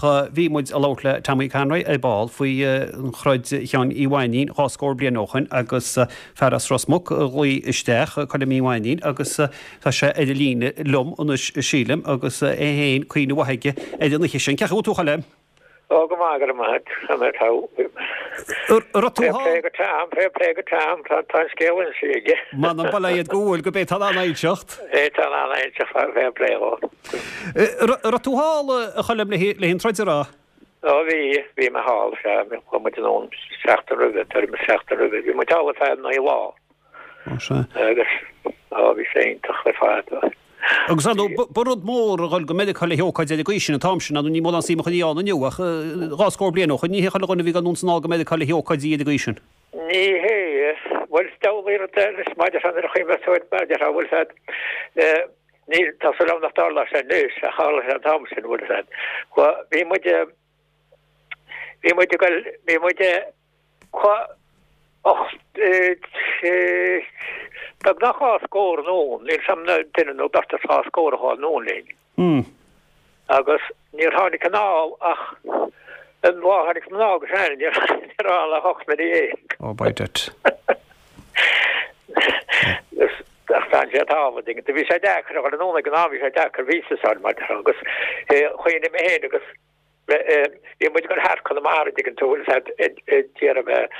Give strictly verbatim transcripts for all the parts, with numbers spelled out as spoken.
Ach bhí muid ag labhairt le Tommy Conroy ar ball faoi an troid Sheáin Uí Mhainnín dhá scór bliain ó shin agus fear as Ros Muc a ghlaoigh isteach, Colm Uí Mhainnín, agus tá sé ar an líne liom anois sílim agus é féin cuimhne mhaith aige ar an oíche sin. Cén chaoi a bhfuil tú, a Choilm? Ó, go maith, go raibh maith agat. An raibh tú Fair play go Tom, fair play go Tom, tá tá an scéal inste aige. M'anam bail ó Dhia go bhfuil, go b'é tá an inseacht. É tá an inseacht, fair play dhó. An raibh tú thall, a Choilm, le an troid a rá? Ó bhí, bhí mé thall, sea, chuaigh muid anonn seachtain roimhe, tuairim is seachtain roimhe, bhí muid thall ar feadh naoi lá. Ó sea. Agus, ó bhí sé iontach ar fad. Agus ar ndóigh, ba rud mór a dhul go Meiriceá le hócáid ar an gcaoi sin an t-am sin, ar ndóigh ní mórán suim a chuirfí ann inniu ach dhá scór bliain ó shin, ní hé chuile dhuine a bhí ag dul anonn is anall go Meiriceá le hócáidí ar an gcaoi sin. Ní hé, bhuel is diabhal rud eile is maidir nuair a chuimhneos tú air, maidir bhfuil a fhios agat, ní, tá súil agam nach dtarlóidh sé anois ach tharla sé an t-am sin, bhfuil a fhios agat. Bhí muid, bhí muid ag dul, bhí muid beagnach dhá scór anonn, níl 's a'm duine nó beirt as dhá scór a chuaigh anonn linn. Agus níor tháinig anall ach an lá a tháinig mná agus ea, níor tháinig anall ach ocht nduine dhéag. Oh by det. Ach d'fhan siad thall, a dtuigeann tú. Bhí sé deacair a dhul anonn ag an am, bhí sé deacair visa a fháil mar agus chuimhnigh mé féin agus Bhí muid ag dul thart Conamara, an dtuigeann tú, bhfuil a fhios agat, ag iarraidh bheith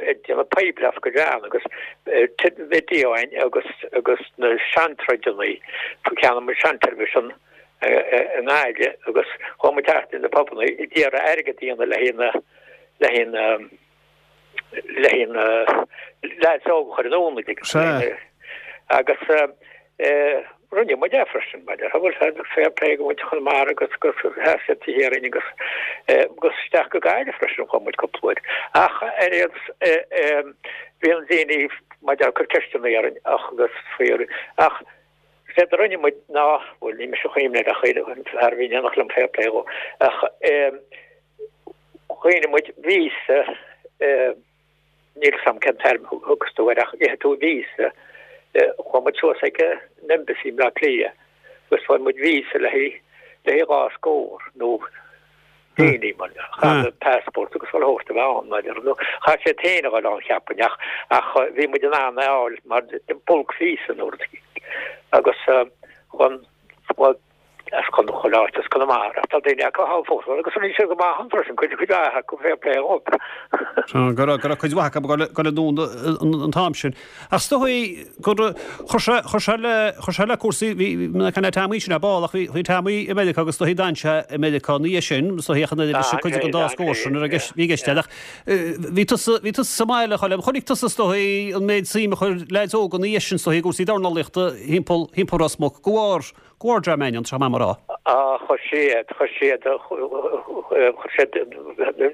ag déanamh poiblíocht go John agus Biddy Eoin agus agus na seantroideanna, cheannaigh muid seanteilifíseán i nGaillimh agus chuaigh muid thart in na pubanna ag iarraidh airgead a dhéanamh le haghaidh na le haghaidh na le haghaidh na leaids óga a chur anonn, an dtuigeann tú. Agus rinne muid é freisin, mar a bhfuil a fhios agat, fair play go muintir Chonamara agus gur sheas siad taobh thiar dínn agus agus isteach go Gaillimh freisin chuaigh muid cúpla uair. Ach ar aon bhí an daoine maidir ag cur ceisteanna orainn ach agus faoi ach séard a rinne muid ná, bhuel ní mise a chuimhnigh air ach an fear a bhí in éineacht liom fair play dhó, ach Choinnigh muid víosa, níl 'fhios a'm cén téarma a thugas tú air ach gheobhaidh tú víosa, chuaigh muid suas ag an Embassy i mBleá Cliath agus fuair muid víosa le haghaidh le haghaidh dhá scór nó daoine mar chaithfidh passport agus chuile shórt a bheith ann mar nó chaithfidh siad féin a dhul ann cheapfainn ach ach bhí muid in ann é a fháil mar bulk visa nó rud agus chun as chuile áit as Conamara ach tá daoine acu thall fós agus rinne siad go maith ann freisin, cuid cuid mhaith acu fair play dhóibh. Go raibh go raibh cuid mhaith acu ag dul anonn an t-am sin. Ach is dóigh gur chuir sé chuir sé le chuir sé le cúrsaí bhí mé ag caint le Tommy sin ar ball ach bhí bhí Tommy i Meiriceá agus is dóigh d'fhan sé i Meiriceá ina dhiaidh sin is dóigh ach an oiread leis an cuid den dá scór sin a raibh bhí i gceist ach bhí tusa bhí tusa sa mbaile a Choilm chonaic tusa is dóigh an méid suim a chuir leaids óga ina dhiaidh sin is dóigh i gcúrsaí dornálaíochta thimpeall thimpeall Ros Muc go bharr Go bharr Dream Ainneoin, tá mé mar rá. Á, chuir siad, chuir siad, chuir siad,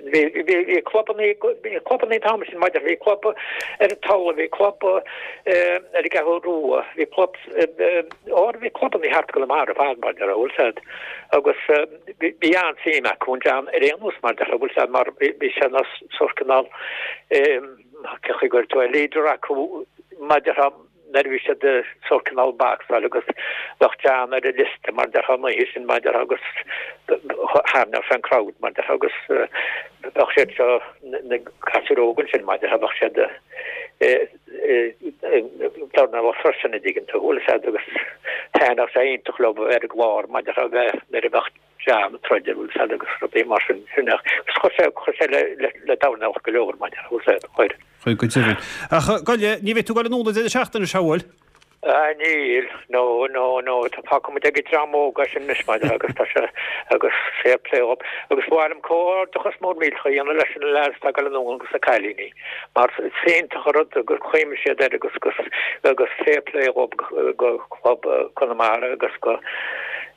bhí, bhí, bhí clubannaí, bhí clubannaí an t-am sin maidir, bhí club ar an Tulaigh, bhí club ar an gCeathrú Rua, bhí club, ó, bhí clubannaí thart Conamara ar fad mar a bhfuil 'fhios a'd agus bhí, bhí an-suim acu in John ar aon nós mar a bhfuil 'fhios a'd mar bhí, bhí sé ina sórt cineál, cén chaoi a gcuirfidh tú é, leader acu maidir nuair a bhí siad sórt cineál bacsáil agus bheadh John ar an liosta mar déarfá an oíche sin mar déarfá agus tharraingeodh sé an crowd mar déarfá agus bheadh siad seo na gasúir óga ansin mar déarfá bheadh siad dornálaí freisin an dtuigeann tú bhfuil 'fhios a'd agus thaitneodh sé iontach leo a bheith ar an gclár mar déarfá bheith nuair a bheadh John ag troid bhfuil 'fhios a'd agus rudaí mar sin sin agus chuir sé chuir sé le le le dornálaíocht go leor mar déarfá bhfuil 'fhios a'd chuir. Chuir go deimhin. Ach Goile, ní bheidh tú ag dul anonn an deireadh seachtaine seo, bhfuil? Ah níl, no, no, no, tá fágfaidh muid ag an dream óg é sin anois mar agus tá sé agus fair play dhób. Agus ba mhaith liom comhghairdeachas mór millteach a dhéanamh leis na lads atá ag dul anonn agus na cailíní mar is iontach an rud gur chuimhnigh siad air agus agus agus fair play dhób go club Conamara agus go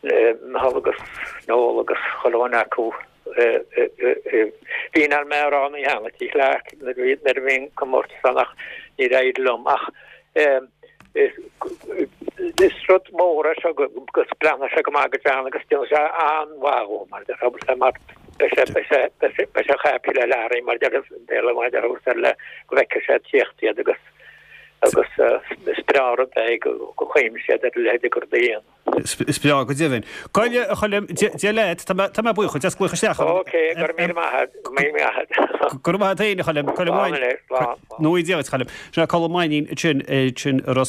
Micheál agus Noel agus chuile dhuine acu. Bhí in ann mé a rá an oíche cheana Tigh Clarke nuair a bhí an comórtas ann ach níor éirigh liom ach is rud mór é seo agus breathnóidh sé go maith go John agus déanfaidh sé an-mhaith dhó mar deir mar beidh sé beidh sé beidh sé happy le Larry mar deir Béarla mar deir le go bhfeicfidh sé ag tíocht iad agus agus is breá an rud é go chuimhnigh siad ar a leithéid de rud a dhéanamh. Is breá go deimhin. Goile a Choilm, Dia leat, tá mé tá mé buíoch as glaoch isteach. Ok, go raibh míle maith agat, go raibh míle maith agat. Go raibh maith agat féin a Choilm, Colm Mainnín. Nó Dia duit a Choilm. Sin é Colm Mainnín ansin ansin i Ros